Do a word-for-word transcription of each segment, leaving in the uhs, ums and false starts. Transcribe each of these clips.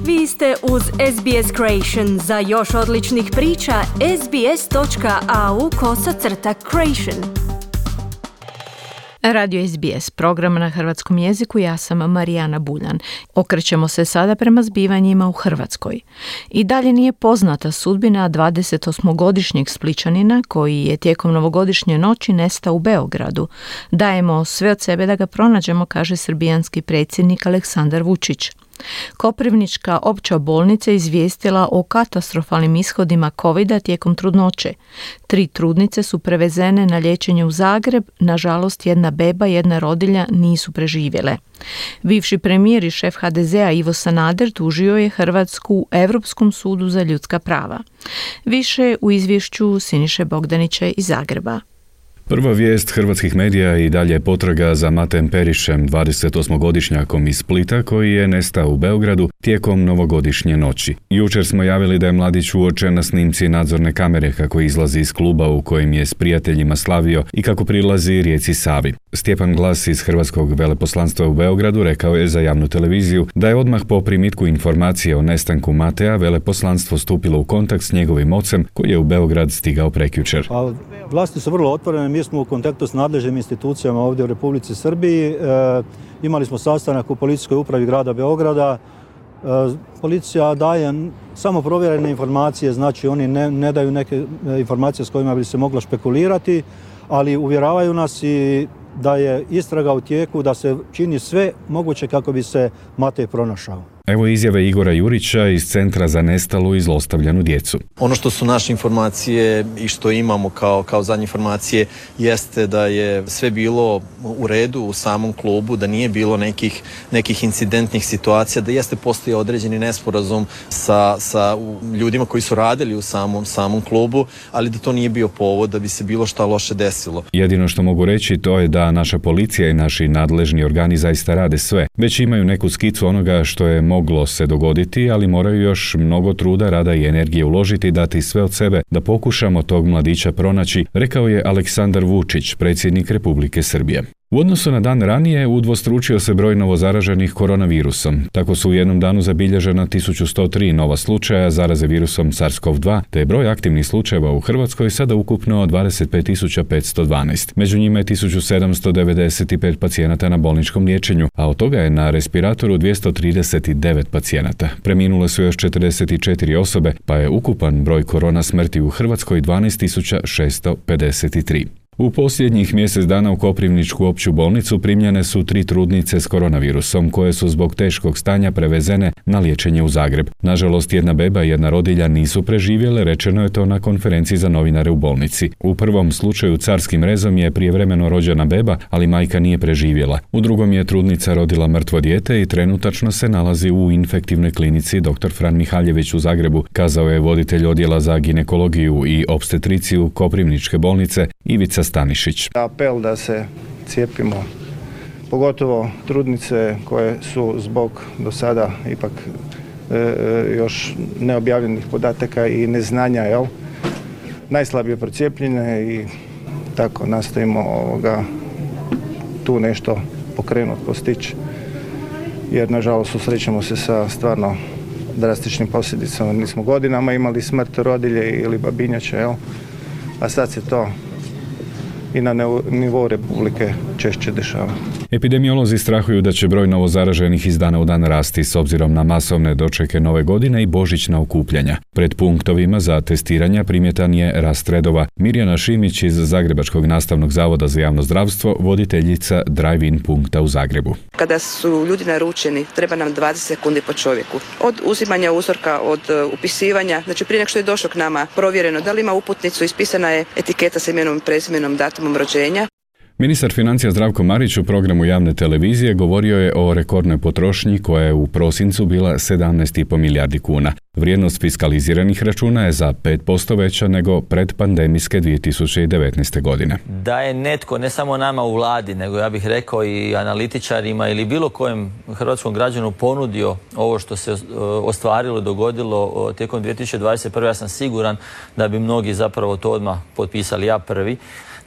Vi ste uz S B S Creation. Za još odličnih priča, sbs.au kosacrta creation. Radio S B S, program na hrvatskom jeziku, ja sam Marijana Buljan. Okrećemo se sada prema zbivanjima u Hrvatskoj. I dalje nije poznata sudbina dvadesetosmogodišnjeg Splićanina koji je tijekom novogodišnje noći nestao u Beogradu. Dajemo sve od sebe da ga pronađemo, kaže srbijanski predsjednik Aleksandar Vučić. Koprivnička opća bolnica izvijestila o katastrofalnim ishodima covida tijekom trudnoće. Tri trudnice su prevezene na liječenje u Zagreb, nažalost jedna beba i jedna rodilja nisu preživjele. Bivši premijer i šef H D Z-a Ivo Sanader tužio je Hrvatsku u Europskom sudu za ljudska prava. Više u izvješću Siniše Bogdanića iz Zagreba. Prva vijest hrvatskih medija i dalje potraga za Matejem Perišem, dvadesetosmogodišnjakom iz Splita koji je nestao u Beogradu tijekom novogodišnje noći. Jučer smo javili da je mladić uočen na snimci nadzorne kamere kako izlazi iz kluba u kojem je s prijateljima slavio i kako prilazi rijeci Savi. Stjepan Glas iz Hrvatskog veleposlanstva u Beogradu rekao je za javnu televiziju da je odmah po primitku informacije o nestanku Mateja veleposlanstvo stupilo u kontakt s njegovim ocem koji je u Beograd stigao prekjučer. Pa, vlasti su vrlo otvorene, mi smo u kontaktu s nadležnim institucijama ovdje u Republici Srbiji. E, imali smo sastanak u policijskoj upravi grada Beograda. E, policija daje samo provjerene informacije, znači oni ne, ne daju neke informacije s kojima bi se moglo špekulirati, ali uvjeravaju nas i da je istraga u tijeku, da se čini sve moguće kako bi se Matej pronašao. Evo izjave Igora Jurića iz Centra za nestalu i zlostavljanu djecu. Ono što su naše informacije i što imamo kao, kao zadnje informacije jeste da je sve bilo u redu u samom klubu, da nije bilo nekih, nekih incidentnih situacija, da jeste postojao određeni nesporazum sa, sa ljudima koji su radili u samom, samom klubu, ali da to nije bio povod da bi se bilo šta loše desilo. Jedino što mogu reći to je da naša policija i naši nadležni organi zaista rade sve. Već imaju neku skicu onoga što je moglo se dogoditi, ali moraju još mnogo truda, rada i energije uložiti i dati sve od sebe da pokušamo tog mladića pronaći, rekao je Aleksandar Vučić, predsjednik Republike Srbije. U odnosu na dan ranije udvostručio se broj novozaraženih koronavirusom. Tako su u jednom danu zabilježena tisuću sto tri nova slučaja zaraze virusom SARS-CoV dva, te je broj aktivnih slučajeva u Hrvatskoj sada ukupno dvadeset pet tisuća petsto dvanaest. Među njima je tisuću sedamsto devedeset pet pacijenata na bolničkom liječenju, a od toga je na respiratoru dvjesto trideset devet pacijenata. Preminule su još četrdeset četiri osobe, pa je ukupan broj korona smrti u Hrvatskoj dvanaest tisuća šesto pedeset tri. U posljednjih mjesec dana u Koprivničku opću bolnicu primljene su tri trudnice s koronavirusom koje su zbog teškog stanja prevezene na liječenje u Zagreb. Nažalost, jedna beba i jedna rodilja nisu preživjele, rečeno je to na konferenciji za novinare u bolnici. U prvom slučaju carskim rezom je prijevremeno rođena beba, ali majka nije preživjela. U drugom je trudnica rodila mrtvo dijete i trenutačno se nalazi u infektivnoj klinici doktor Fran Mihaljević u Zagrebu, kazao je voditelj odjela za ginekologiju i opstetriciju Koprivničke bolnice Ivica Stanišić. Apel da se cijepimo, pogotovo trudnice koje su zbog do sada ipak e, još neobjavljenih podataka i neznanja, jel, najslabije procijepljene i tako nastojimo ovoga, tu nešto pokrenuti, postići, jer nažalost susrećemo se sa stvarno drastičnim posljedicama. Mi smo godinama imali smrt rodilje ili babinjače, jel, a sad se to i na nivou Republike češće dešava. Epidemiolozi strahuju da će broj novozaraženih iz dana u dan rasti s obzirom na masovne dočeke nove godine i božićna okupljanja. Pred punktovima za testiranja primjetan je rast redova. Mirjana Šimić iz Zagrebačkog nastavnog zavoda za javno zdravstvo, voditeljica drive-in punkta u Zagrebu. Kada su ljudi naručeni, treba nam dvadeset sekundi po čovjeku. Od uzimanja uzorka, od upisivanja, znači prije nego što je došlo k nama provjereno da li ima uputnicu, ispisana je etiketa sa imenom i prezimenom, datumom rođenja. Ministar financija Zdravko Marić u programu javne televizije govorio je o rekordnoj potrošnji koja je u prosincu bila sedamnaest zarez pet milijardi kuna. Vrijednost fiskaliziranih računa je za pet posto veća nego predpandemijske dvije tisuće devetnaeste. godine. Da je netko, ne samo nama u vladi, nego ja bih rekao i analitičarima ili bilo kojem hrvatskom građanu ponudio ovo što se ostvarilo, dogodilo tijekom dvije tisuće dvadeset prve. Ja sam siguran da bi mnogi zapravo to odmah potpisali, ja prvi.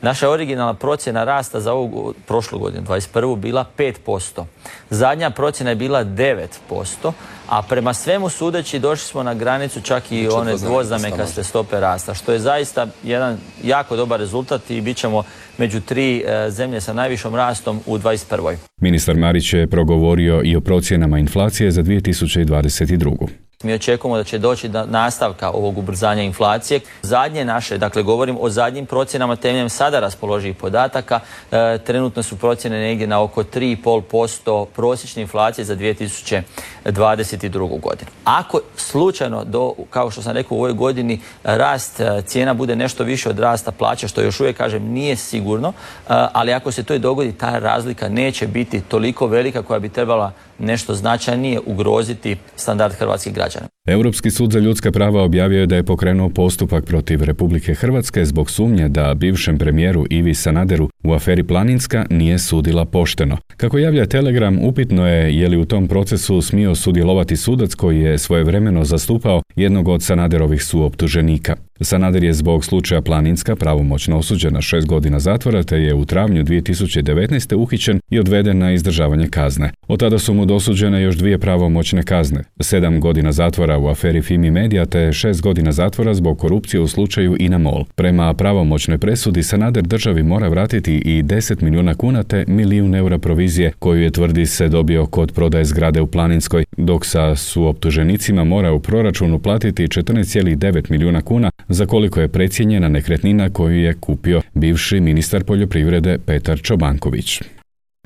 Naša originalna procjena rasta za ovu prošlu godinu, dvadeset prvu, bila pet posto. Zadnja procjena je bila devet posto, a prema svemu sudeći došli smo na granicu čak i one dvoznamenkaste stope rasta, što je zaista jedan jako dobar rezultat i bit ćemo među tri e, zemlje sa najvišom rastom u dvadeset prvoj. Ministar Marić je progovorio i o procjenama inflacije za dvije tisuće dvadeset drugu. Mi očekujemo da će doći do nastavka ovog ubrzanja inflacije. Zadnje naše, dakle govorim o zadnjim procjenama temeljem sada raspoloživih podataka, e, trenutno su procjene negdje na oko tri i pol posto prosječne inflacije za dvije tisuće dvadeset drugu godinu. Ako slučajno, do, kao što sam rekao, u ovoj godini rast cijena bude nešto više od rasta plaća, što još uvijek, kažem, nije sigurno, ali ako se to i dogodi, ta razlika neće biti toliko velika koja bi trebala nešto značajnije ugroziti standard hrvatskih građana. Europski sud za ljudska prava objavio je da je pokrenuo postupak protiv Republike Hrvatske zbog sumnje da bivšem premijeru Ivi Sanaderu u aferi Planinska nije sudila pošteno. Kako javlja Telegram, upitno je je li u tom procesu smio sudjelovati sudac koji je svojevremeno zastupao jednog od Sanaderovih suoptuženika. Sanader je zbog slučaja Planinska pravomoćno osuđen na šest godina zatvora, te je u travnju dvije tisuće devetnaeste. uhićen i odveden na izdržavanje kazne. Od tada su mu dosuđene još dvije pravomoćne kazne, sedam godina zatvora u aferi Fimi Media te šest godina zatvora zbog korupcije u slučaju INA MOL. Prema pravomoćnoj presudi Sanader državi mora vratiti i deset milijuna kuna te milijun eura provizije koju je, tvrdi se, dobio kod prodaje zgrade u Planinskoj, dok sa suoptuženicima mora u proračunu platiti četrnaest zarez devet milijuna kuna za koliko je precijenjena nekretnina koju je kupio bivši ministar poljoprivrede Petar Čobanković.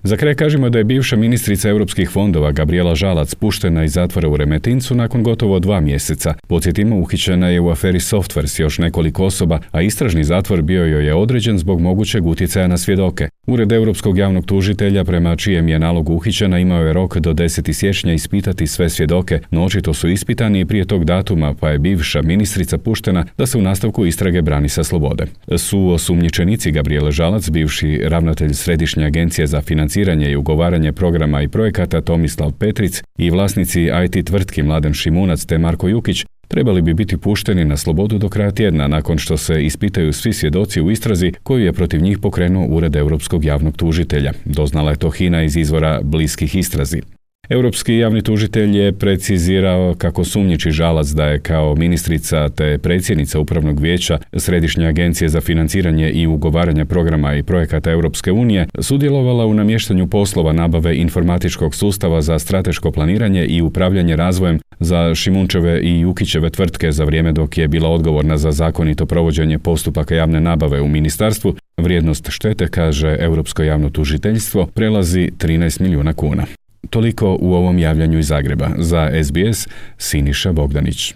Za kraj kažemo da je bivša ministrica europskih fondova Gabrijela Žalac puštena iz zatvora u Remetincu nakon gotovo dva mjeseca. Podsjetimo, uhićena je u aferi Software s još nekoliko osoba, a istražni zatvor bio joj je određen zbog mogućeg utjecaja na svjedoke. Ured europskog javnog tužitelja, prema čijem je nalogu uhićena, imao je rok do desetog siječnja ispitati sve svjedoke, no očito su ispitani i prije tog datuma, pa je bivša ministrica puštena da se u nastavku istrage brani sa slobode. Su osumnjičenici Gabrijele Žalac, bivši ravnatelj Središnje agencije za financiranje i ugovaranje programa i projekata Tomislav Petric i vlasnici I T tvrtki Mladen Šimunac te Marko Jukić, trebali bi biti pušteni na slobodu do kraja tjedna nakon što se ispitaju svi svjedoci u istrazi koju je protiv njih pokrenuo Ured europskog javnog tužitelja. Doznala je to HINA iz izvora bliskih istrazi. Europski javni tužitelj je precizirao kako sumnjiči Žalac da je kao ministrica te predsjednica Upravnog vijeća Središnje agencije za financiranje i ugovaranje programa i projekata Europske unije sudjelovala u namještanju poslova nabave informatičkog sustava za strateško planiranje i upravljanje razvojem za Šimunčeve i Jukićeve tvrtke za vrijeme dok je bila odgovorna za zakonito provođenje postupaka javne nabave u ministarstvu. Vrijednost štete, kaže Europsko javno tužiteljstvo, prelazi trinaest milijuna kuna. Toliko u ovom javljanju iz Zagreba. Za S B S, Siniša Bogdanić.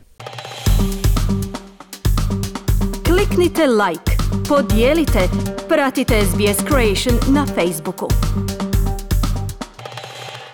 Kliknite like, podijelite, pratite S B S Creation na Facebooku.